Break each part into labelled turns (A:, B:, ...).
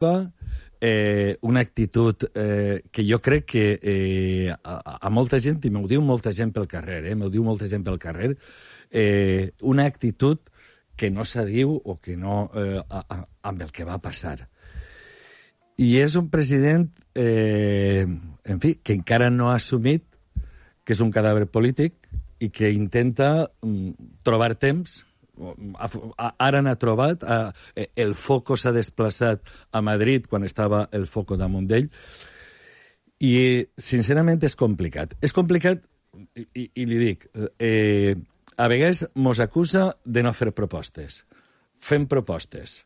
A: una actitud que jo crec que a molta gent, i m'ho diu molta gent pel carrer, una actitud que no s'adiu o que no amb el que va passar. I és un president, en fi, que encara no ha assumit que és un cadàver polític i que intenta trobar temps. Ara n'ha trobat, el foco s'ha desplaçat a Madrid quan estava el foco damunt d'ell, i sincerament és complicat. És complicat, i li dic, a vegades mos acusa de no fer propostes. Fem propostes,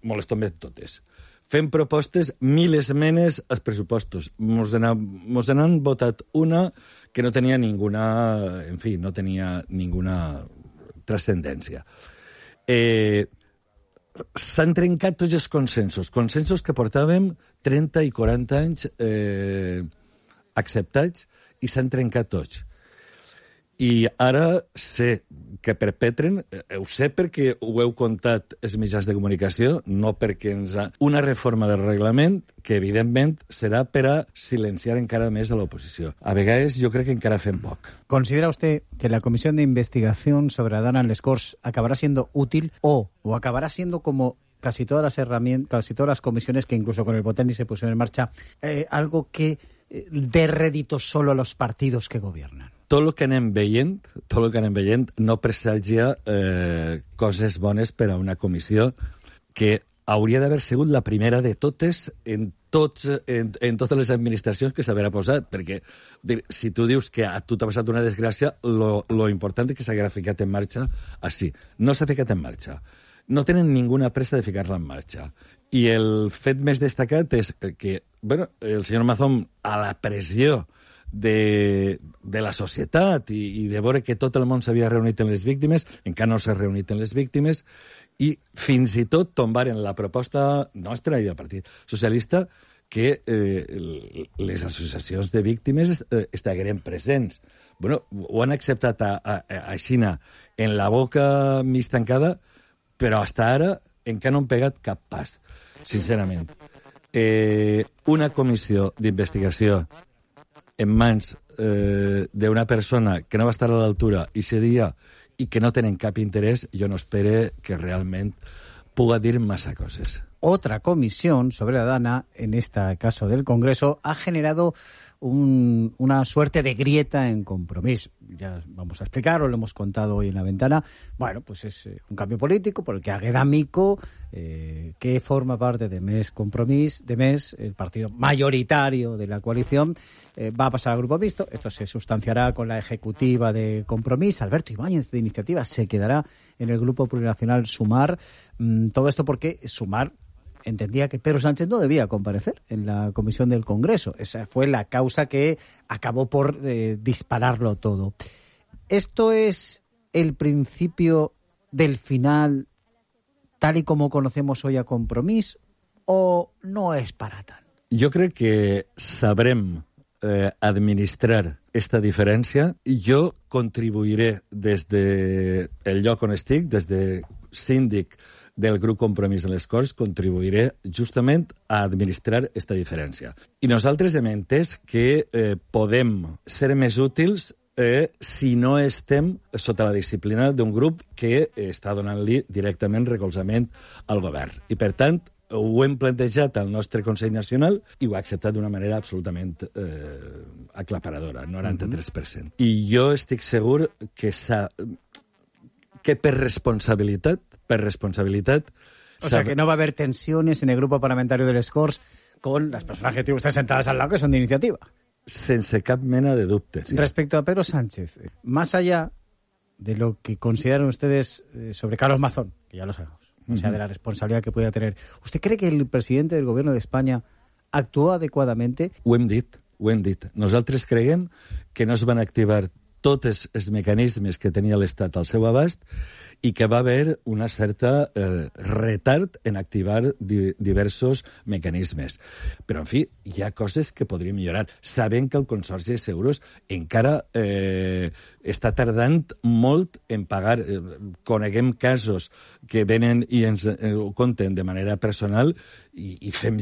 A: molestom totes. Fem propostes, 1.000 esmenes als pressupostos. Mos n'han votat una que no tenia ninguna, en fi, no tenia ninguna transcendència. S'han trencat tots els consensos que portàvem 30 i 40 anys acceptats, i s'han trencat tots. I ara sé que perpetren, ho sé perquè ho heu contat els mitjans de comunicació, no perquè una reforma del reglament que, evidentment, serà per a silenciar encara més a l'oposició. A vegades jo crec que encara fem poc.
B: ¿Considera usted que la comisión de investigación sobre Adana en les Corts acabará siendo útil o acabará siendo como casi todas las herramientas, casi todas las comisiones que incluso con el Botelni se pusieron en marcha, algo que dé rédito solo a los partidos que gobiernan?
A: Tot el que anem veient no presagia coses bones per a una comissió que hauria d'haver sigut la primera de totes en totes les administracions que s'haurà posat, perquè si tu dius que a tu t'ha passat una desgràcia, lo important és que s'haguera ficat en marxa així. No s'ha ficat en marxa. No tenen ninguna pressa de ficar-la en marxa. I el fet més destacat és que el senyor Mazón, a la pressió de la societat i de veure que tot el món s'havia reunit en les víctimes, encara no s'ha reunit en les víctimes, i fins i tot tombaren la proposta nostra i del Partit Socialista que les associacions de víctimes estagueren presents. Ho han acceptat així en la boca mig tancada, però fins ara encara no han pegat cap pas, sincerament. Una comissió d'investigació en mans d'una persona que no va estar a l'altura i seria i que no tenen cap interès, jo no espero que realment puga dir massa coses.
B: Otra comisión sobre Adana, en este caso del Congreso, ha generado una suerte de grieta en Compromís. Ya vamos a explicar, lo hemos contado hoy en la ventana. Bueno, pues es un cambio político por el que Águeda Mico, que forma parte de MES Compromís, el partido mayoritario de la coalición, va a pasar al Grupo Mixto. Esto se sustanciará con la ejecutiva de Compromís. Alberto Ibáñez, de Iniciativa, se quedará en el Grupo Plurinacional Sumar. Todo esto porque Sumar entendía que Pedro Sánchez no debía comparecer en la comisión del Congreso. Esa fue la causa que acabó por dispararlo todo. ¿Esto es el principio del final tal y como conocemos hoy a Compromís o no és para tant?
A: Jo crec que sabrem administrar esta diferència i jo contribuiré des del lloc on estic, des de síndic del grup Compromís de les Corts, contribuiré justament a administrar esta diferència. I nosaltres hem entès que podem ser més útils si no estem sota la disciplina d'un grup que està donant-li directament recolzament al govern. I, per tant, ho hem plantejat al nostre Consell Nacional i ho ha acceptat d'una manera absolutament aclaparadora, 93%. I jo estic segur que per responsabilitat...
B: O sea, que no va a haber tensiones en el grupo parlamentario de les Corts con las personas que tiene usted sentadas al lado que son de Iniciativa.
A: Sense cap mena de dubte. Sí.
B: Respecto a Pedro Sánchez, más allá de lo que consideran ustedes sobre Carlos Mazón, que ya lo sabemos, o sea, de la responsabilidad que pueda tener, ¿usted cree que el presidente del gobierno de España actuó adecuadamente?
A: Ho hem dit. Nosaltres creiem que no es van activar tots els mecanismes que tenia l'Estat al seu abast i que va haver una certa retard en activar diversos mecanismes. Però, en fi, hi ha coses que podríem millorar. Sabem que el Consorci de Seguros encara està tardant molt en pagar. Coneguem casos que venen i ens ho conten de manera personal i fem